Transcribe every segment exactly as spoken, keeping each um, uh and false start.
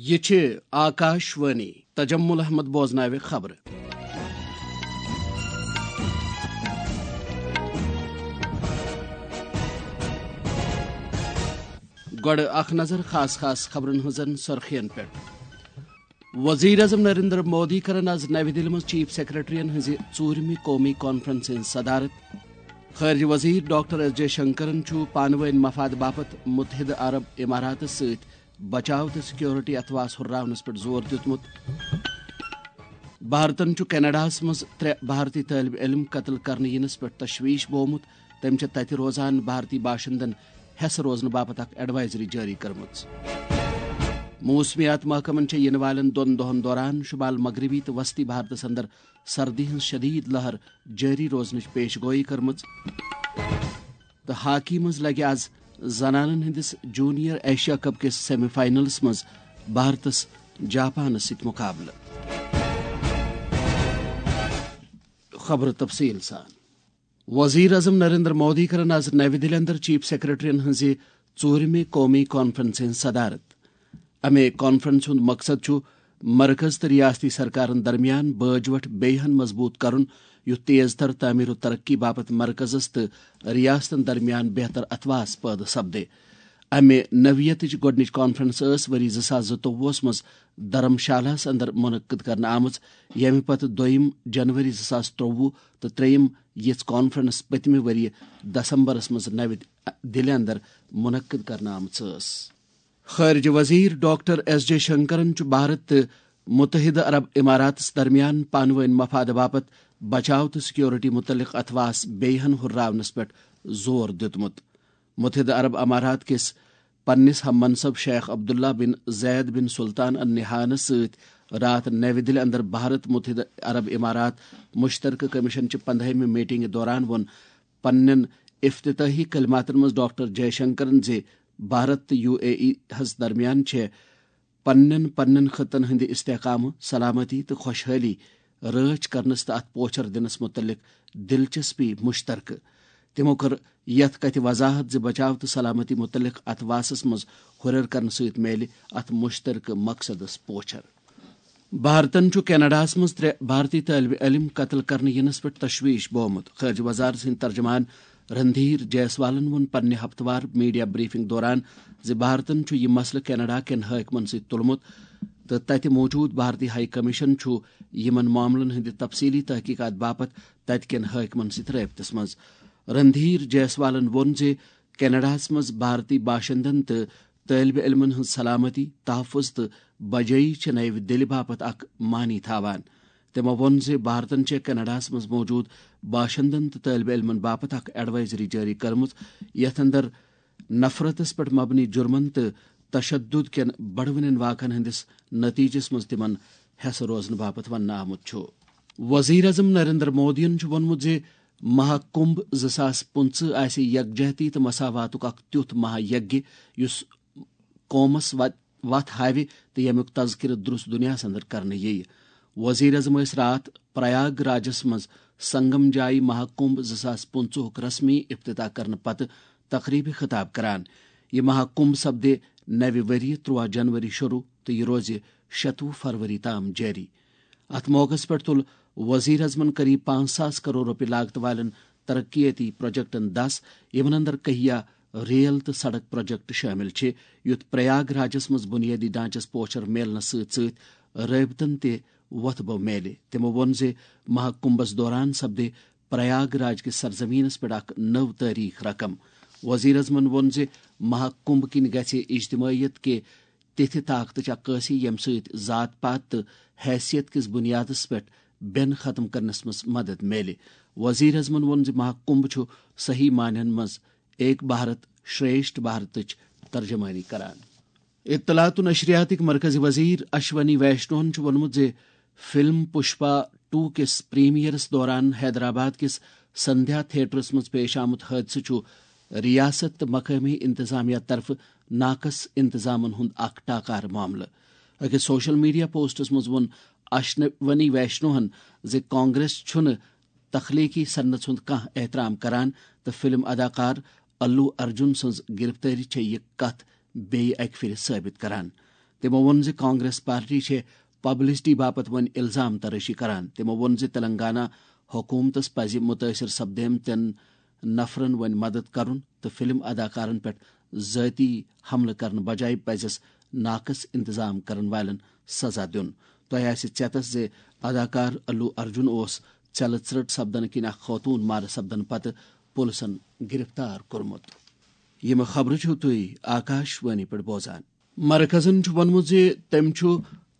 یہِ چھِ آکاش وانی۔ تجمل احمد بوزناوِ خبرٕ۔ گۄڈٕ اکھ نظر خاص خاص خبرن ہٕنٛزن سرخین پٮ۪ٹھ۔ وزیر اعظم نریندر مودی کرن آز نَوِ دِلہِ منٛز چیف سیکرٹریَن ہٕنٛزِ ژوٗرِمہِ قومی کانفرنسہِ ہٕنٛز صدارت۔ خارجہ وزیر ڈاکٹر ایس جے شنکرن چھُ پانہٕ وٲنۍ مفادٕ باپتھ متحدہ عرب اماراتس سۭتۍ بچاو تہٕ سیکورٹی اتھواس ہُرراونس پٮ۪ٹھ زور دیُتمُت۔ بھارتن چھُ کینیڈاہس منٛز ترٛےٚ بھارتی طٲلبہِ علم قتل کرنہٕ یِنس پٮ۪ٹھ تشویش بوومُت۔ تٔمۍ چھِ تتہِ روزان بھارتی باشندن ہٮ۪س روزنہٕ باپتھ اکھ ایڈوائزری جٲری کٔرمٕژ۔ موسمیات محکمن چھےٚ یِنہٕ والٮ۪ن دۄن دۄہن دوران شمال مغربی تہٕ وسطی بھارتس اندر سردی ہٕنٛز شدید لہر جٲری روزنٕچ پیش گوئی کٔرمٕژ۔ تہٕ ہاکی منٛز لگہِ آز زنانن ہٕنٛدِس جونیئر ایشیا کپ کِس سیمی فائنلس منٛز بھارتس جاپانس سۭتۍ مقابلہٕ۔ خبرٕ تفصیل سان۔ وزیر اعظم نریندر مودی کرن آز نَوِ دِلہِ اندر چیف سیکرٹریَن ہٕنٛزِ ژوٗرِمہِ قومی کانفرنسہِ ہٕنٛز صدارت۔ امہِ کانفرنسہِ ہُنٛد مقصد چھُ مرکز تہٕ ریاستی سرکارن درمیان بٲج وٹھ بیٚیہِ ہن مضبوط کرُن، یُتھ تیز تر تعمیر و ترقی باپتھ مرکزس تہٕ ریاستن درمیان بہتر اتھواس پٲدٕ سپدِ۔ امہِ نوعیتٕچ گۄڈٕنِچ کانفرنس ٲس ؤری زٕ ساس زٕتووُہس منٛز دھرم شالہس اندر منعقد کرنہٕ آمٕژ، ییٚمہِ پتہٕ دوٚیِم جنوری زٕ ساس ترٛوٚوُہ تہٕ ترٛیٚیِم یِژھ کانفرنس پٔتمہِ ؤرۍ دسمبرس منٛز نَوِ دِلہِ اندر منعقد کرنہٕ آمٕژ ٲس۔ خارجہ وزیر ڈاکٹر ایس جے شنکرن چھُ بھارت تہٕ متحدہ عرب اماراتس درمیان پانہٕ وٲنۍ مفادٕ باپتھ بچاو تہٕ سیکورٹی متعلق اتھواس بیٚیہِ ہن ہُرراونس پٮ۪ٹھ زور دیُتمُت۔ متحدہ عرب امارات کِس پننِس ہم منصب شیخ عبداللہ بن زید بن سلطان النہیانس سۭتۍ راتھ نَوِ دِلہِ اندر بھارت متحدہ عرب امارات مشترکہ کمیشن چہِ پندہٲیمہِ میٹنگہِ دوران ووٚن پننٮ۪ن افتتاحی کلماتن منٛز ڈاکٹر جے شنکرن زِ بھارت تہٕ یو اے ای ہس درمیان چھےٚ پننٮ۪ن پننٮ۪ن خطن ہٕنٛدِ استحکامہٕ، سلامتی تہٕ خۄشحٲلی رٲچھ کرنس تہٕ اتھ پوچھر دِنس متعلق دلچسپی مشترکہٕ۔ تِمو کٔر یتھ کتھِ وضاحت زِ بچاو تہٕ سلامتی متعلق اتھواسس منٛز ہُرٮ۪ر کرنہٕ سۭتۍ میلہِ اتھ مشترکہٕ مقصدس پوچھر۔ بھارتن چھُ کینیڈاہس منٛز ترٛےٚ بھارتی طٲلبہِ علم قتل کرنہٕ یِنس پٮ۪ٹھ تشویش بوومُت۔ خارجہ وزارت سٕنٛدۍ ترجمان رندھیر جیسوالن ووٚن پننہِ ہفتہٕ وار میڈیا بریفنگ دوران زِ بھارتن چھُ یہِ مسلہٕ کینیڈا کٮ۪ن حٲکمن سۭتۍ تُلمُت تہٕ تتہِ موجود بھارتی ہائی کمیشن چھُ یِمن معاملن ہٕنٛدِ تفصیلی تحقیقات باپتھ تتہِ کٮ۪ن حٲکمن سۭتۍ رٲبطس منٛز۔ رندھیر جیسوالن ووٚن زِ کینیڈاہس منٛز بھارتی باشندن تہٕ طٲلبہِ علمن ہٕنٛز سلامتی، تحفظ تہٕ بجٲیی چھِ نَوِ دِلہِ باپتھ اکھ معنی تھاوان۔ تِمو ووٚن زِ بھارتن چھےٚ کینیڈاہس منٛز موجود باشندن تہٕ طٲلبہِ علمن باپتھ اکھ ایڈوائزری جٲری کٔرمٕژ، یتھ اندر نفرتس پٮ۪ٹھ مبنی جرمن تہٕ تشدد کٮ۪ن بڑوٕنٮ۪ن واقعن ہٕنٛدِس نتیجس منٛز تِمن ہٮ۪سہٕ روزنہٕ باپتھ وننہٕ آمُت چھُ۔ وزیر اعظم نریندر مودیَن چھُ ووٚنمُت زِ مہا کمبھ زٕ ساس پٕنٛژٕہ آسہِ یکجہتی تہٕ مساواتُک اکھ تیُتھ مہا یگیہ یُس قومس وت-، وتھ ہاوِ تہٕ ییٚمیُک تذکرٕ درست دنیاہس اندر کرنہٕ یِیہِ۔ وزیر اعظم ٲسۍ راتھ پریاگ راجس منٛز سنگم جایی مہا کمبھ زٕ ساس پٕنٛژٕہُک رسمی افتتاح کرنہٕ پتہٕ تقریبہِ خطاب کران۔ یہِ مہا کمبھ سپدِ نوِ ؤریہِ ترٛوہ جنوری شروع تہٕ یہِ روزِ شتوُہ فروری تام جٲری۔ اتھ موقعس پٮ۪ٹھ تُل وزیر اعظمن قریب پانٛژھ ساس کرور رۄپیہِ لاگتہٕ والٮ۪ن ترقیتی پروجیکٹن دس، یِمن اندر کہیا ریل تہٕ سڑک پروجیکٹ شٲمِل چھِ، یُتھ پریاگ راجس منٛز بنیٲدی ڈھانچس پوچھر میلنس سۭتۍ سۭتۍ رٲبطن تہِ وۄتھٕ بو میلہِ۔ تِمو ووٚن زِ مہا کمبھس دوران سپدِ پریاگ راج کِس سرزمینس پٮ۪ٹھ اکھ نٔو تٲریخ رقم۔ وزیر اعظمن ووٚن زِ مہا کمبھ کِنۍ گژھِ اجتماعیت کہِ تِتھِ طاقتٕچ عکٲسی، ییٚمہِ سۭتۍ ذات پات تہٕ حیثیت کِس بُنیادس پٮ۪ٹھ بٮ۪ن ختم کرنس منٛز مدد میلہِ۔ وزیر اعظمن ووٚن زِ مہا کمبھ چھُ صحیح معنین منٛز ایک بھارت شریشٹھ بھارتٕچ ترجمٲنی کران۔ اطلاعات و نشریاتٕکۍ مرکزی وزیر اشونی ویشنوہن چھُ ووٚنمُت زِ فلم پشپا ٹو کِس پریمیئرس دوران حیدرآباد کِس سندھیا تھیٹرس منٛز پیش آمُت حٲدثہٕ چھُ ریاست تہٕ مقٲمی انتظامیہ طرفہٕ ناقص انتظامن ہُنٛد اکھ ٹاکارٕ معاملہٕ۔ أکِس سوشل میڈیا پوسٹس منٛز ووٚن اشونی ویشنوہن زِ کانگریس چھُنہٕ تخلیقی صنعتس ہُنٛد کانٛہہ احترام کران تہٕ فلم اداکار الو ارجن سٕنٛز گرفتٲری چھےٚ یہِ کتھ بیٚیہِ اکہِ پھِرِ ثٲبت کران۔ تِمو ووٚن زِ کانگریس پارٹی چھےٚ پبلسٹی باپتھ وۄنۍ الزام ترٲشی کران۔ تِمو ووٚن زِ تلنگانہ حکومتس پزِ مُتٲثر سپدیمتٮ۪ن نفرن وۄنۍ مدد کرُن تہٕ فلم اداکارن پٮ۪ٹھ ذٲتی حملہٕ کرنہٕ بجایہِ پزٮ۪س ناقص انتظام کرن والٮ۪ن سزا دیُن۔ تۄہہِ آسہِ ژیتس زِ اداکار الو ارجن اوس ژٮ۪لہٕ ژرٛٹ سپدنہٕ کِنۍ اکھ خاتون مارٕ سپدنہٕ پتہٕ پُلسن گرفتار کوٚرمُت۔ یِم خبرٕ چھِو تُہۍ آکاش وانی پٮ۪ٹھ بوزان۔ مرکزن چھُ ووٚنمُت زِ تٔمۍ چھُ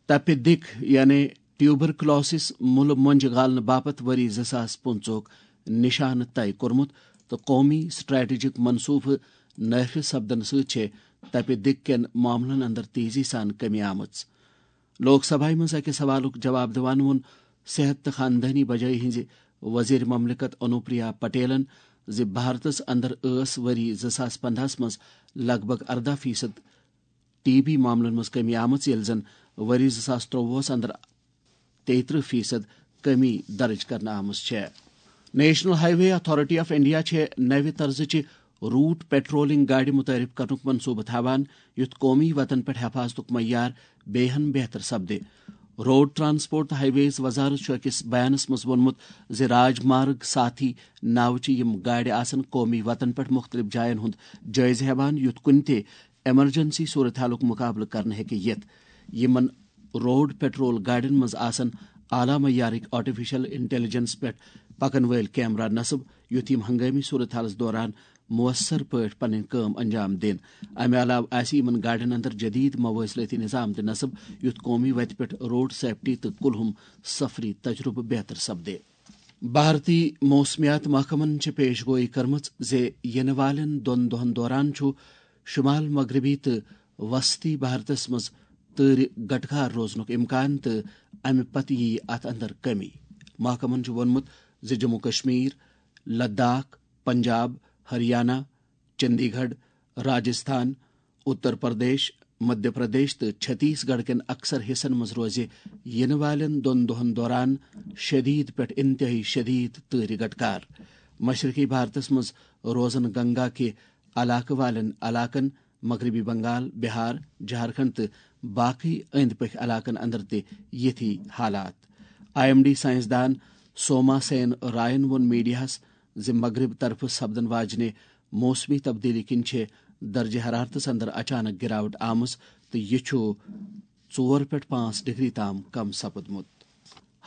تپہِ دِک یعنی ٹیوبرکلوسس مُلہٕ مۄنجہِ گالنہٕ باپتھ ؤری زٕ ساس پٕنٛژٕہُک نشانہٕ طے کوٚرمُت تہٕ قومی سٹریٹجک منصوبہٕ نٲفذ سپدنہٕ سۭتۍ چھےٚ تپہِ دِک کٮ۪ن معاملن اندر تیزی سان کمی آمٕژ۔ لوک سبھایہ منٛز أکِس سوالُک جواب دِوان ووٚن صحت تہٕ خاندٲنی بجٲیی ہٕنٛزِ وزیر مملکت انوپریا پٹیلن زِ بھارتس اندر ٲس ؤری زٕ ساس پندہس منٛز لگ بھگ ارداہ فیصد ٹی بی معاملن منٛز کمی آمٕژ، ییٚلہِ زن ؤری زٕ ساس ترٛۆوُہس اندر تیترٕہ فیصد کمی درج کرنہٕ آمٕژ چھےٚ۔ National high way authority of India چھےٚ نوِ طرزٕچہِ روٹ پیٹرولنگ گاڑِ متعارف کرنُک منصوبہٕ تھاوان، یُتھ قومی وتن پٮ۪ٹھ حفاظتُک معیار بیٚیہِ ہن بہتر سپدِ۔ روڈ ٹرانسپورٹ تہٕ ہائی ویز وزارت چھُ أکِس بیانس منٛز ووٚنمُت زِ راج مارگ ساتھی ناوچہِ یِم گاڑِ آسن قومی وتن پٮ۪ٹھ مُختٔلِف جاین ہُنٛد جٲیزٕ ہٮ۪وان، یُتھ کُنہِ تہِ ایمرجنسی صورتحالُک مُقابلہٕ کرنہٕ ہیٚکہِ یِتھ۔ یِمن روڈ پیٹرول گاڑٮ۪ن منٛز آسن اعلیٰ معیارٕکۍ آرٹیفیشل انٹیلیجنس پٮ۪ٹھ پکن وٲلۍ کیمرہ نصب، یُتھ یِم ہنگٲمی صورتحالس دوران مؤثر پٲٹھۍ پنٕنۍ کٲم انجام دِن۔ امہِ علاوٕ آسہِ یِمن گاڑٮ۪ن اندر جدید مواصلٲتی نظام تہِ نصب، یُتھ قومی وتہِ پٮ۪ٹھ روڈ سیفٹی تہٕ کُلہُم سفری تجربہٕ بہتر سپدِ۔ بھارتی موسمیات محکمن چھِ پیش گویی کٔرمٕژ زِ یِنہٕ والٮ۪ن دۄن دۄہن دوران چھُ شمال مغربی تہٕ وسطی بھارتس منٛز تۭرِ گٹکار روزنُک امکان تہٕ امہِ پتہٕ یِیہِ اتھ اندر کمی۔ محکمن چھُ ووٚنمُت زِ جموں کشمیر، لداخ، پنجاب، ہریانہ، چندی گڑھ، راجستھان، اتر پردیش، مدھیہ پردیش تہٕ چھتیس گڑھ کٮ۪ن اکثر حصن منٛز روزِ یِنہٕ والٮ۪ن دۄن دۄہن دوران شدید پٮ۪ٹھ انتہٲئی شدید تۭرِ گٹکار۔ مشرقی بھارتس منٛز روزن گنگا کہِ علاقہٕ والٮ۪ن علاقن، مغربی بنگال، بہار، جھارکھنڈ تہٕ باقٕے أنٛدۍ پٔکھۍ علاقن اندر تہِ یِتھی حالات۔ آئی ایم ڈی سائنسدان سوما سین رائن ووٚن میڈیاہس زِ مغرب طرفہٕ سپدن واجنہِ موسمی تبدیلی کِنۍ چھِ درجہ حرارتس اندر اچانک گراوٹ آمٕژ تہٕ یہِ چھُ ژور پٮ۪ٹھ پانٛژھ ڈگری تام کم سپدمُت۔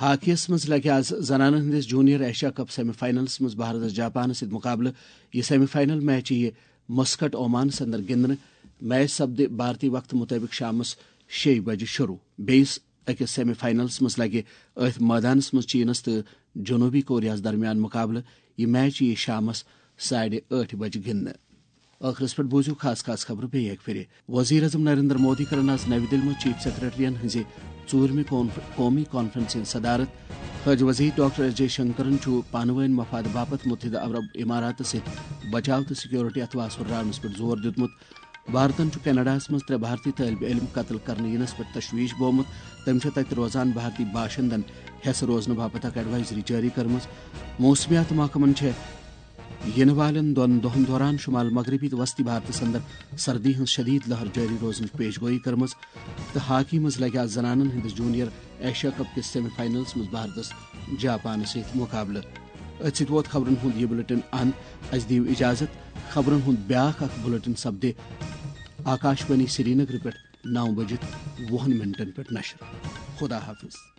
ہاکیَس منٛز لگہِ آز زنانن ہٕنٛدِس junior Asia cup semi finals منٛز بھارتس جاپانس سۭتۍ مقابلہٕ۔ یہِ سیمی فائنل میچ یِیہِ مسقط عومانس اندر گِنٛدنہٕ۔ میچ سپدِ بھارتی وقتہٕ مُطٲبِق شامس شیٚیہِ بجہِ شروع۔ بیٚیِس أکِس سیمی فائنلس منٛز لگہِ أتھۍ مٲدانس منٛز چینس تہٕ جنوبی کوریاہس درمیان مقابلہٕ۔ یہِ میچ یِیہِ شامس ساڑِ ٲٹھِ بجہِ گِنٛدنہٕ۔ ٲخرس پٮ۪ٹھ بوٗزِو خاص خاص خبرٕ بیٚیہِ اکہِ پھِرِ۔ وزیر اعظم نریندر مودی کرن آز نَوِ دِلہِ منٛز چیف سیکرٹریَن ہٕنٛزِ ژوٗرمہِ کانف-، قومی کانفرنسہِ ہٕنٛز صدارت۔ خٲج وزیر ڈاکٹر ایس جے شنکرن چھُ پانہٕ وٲنۍ مفادٕ باپتھ متحدہ عرب اماراتس سۭتۍ بچاو تہٕ سیکورٹی اتھواس ہُرراونس پٮ۪ٹھ زور دیُتمُت۔ بھارتن چھُ کینیڈاہس منٛز ترٛےٚ بھارتی طٲلبہِ علم قتل کرنہٕ یِنس پٮ۪ٹھ تشویش بومُت۔ تٔمۍ چھےٚ تتہِ روزان بھارتی باشندن حیث روزنہٕ باپتھ اکھ ایڈوائزری جٲری کٔرمٕژ۔ موسمیات محکمن چھےٚ یِنہٕ والٮ۪ن دۄن دۄہن دوران شمال مغربی تہٕ وسطی بھارتس اندر سردی ہٕنٛز شدید لہر جٲری روزنٕچ پیش گویی کٔرمٕژ تہٕ ہاکی منٛز لگہِ آز زنانن ہٕنٛدِس جونیئر ایشیا کپ کِس سیمی فائنلس منٛز بھارتس جاپانس سۭتۍ مقابلہٕ۔ أتھۍ سۭتۍ ووت خبرن ہُنٛد یہِ بلیٹن اند۔ اسہِ دِیِو اجازت۔ خبرن ہُنٛد بیاکھ اکھ بلیٹن سپدِ آکاشوانی سرینگر پٮ۪ٹھ نو بجہِ وُہن منٹن پٮ۪ٹھ نشر۔ خدا حافظ۔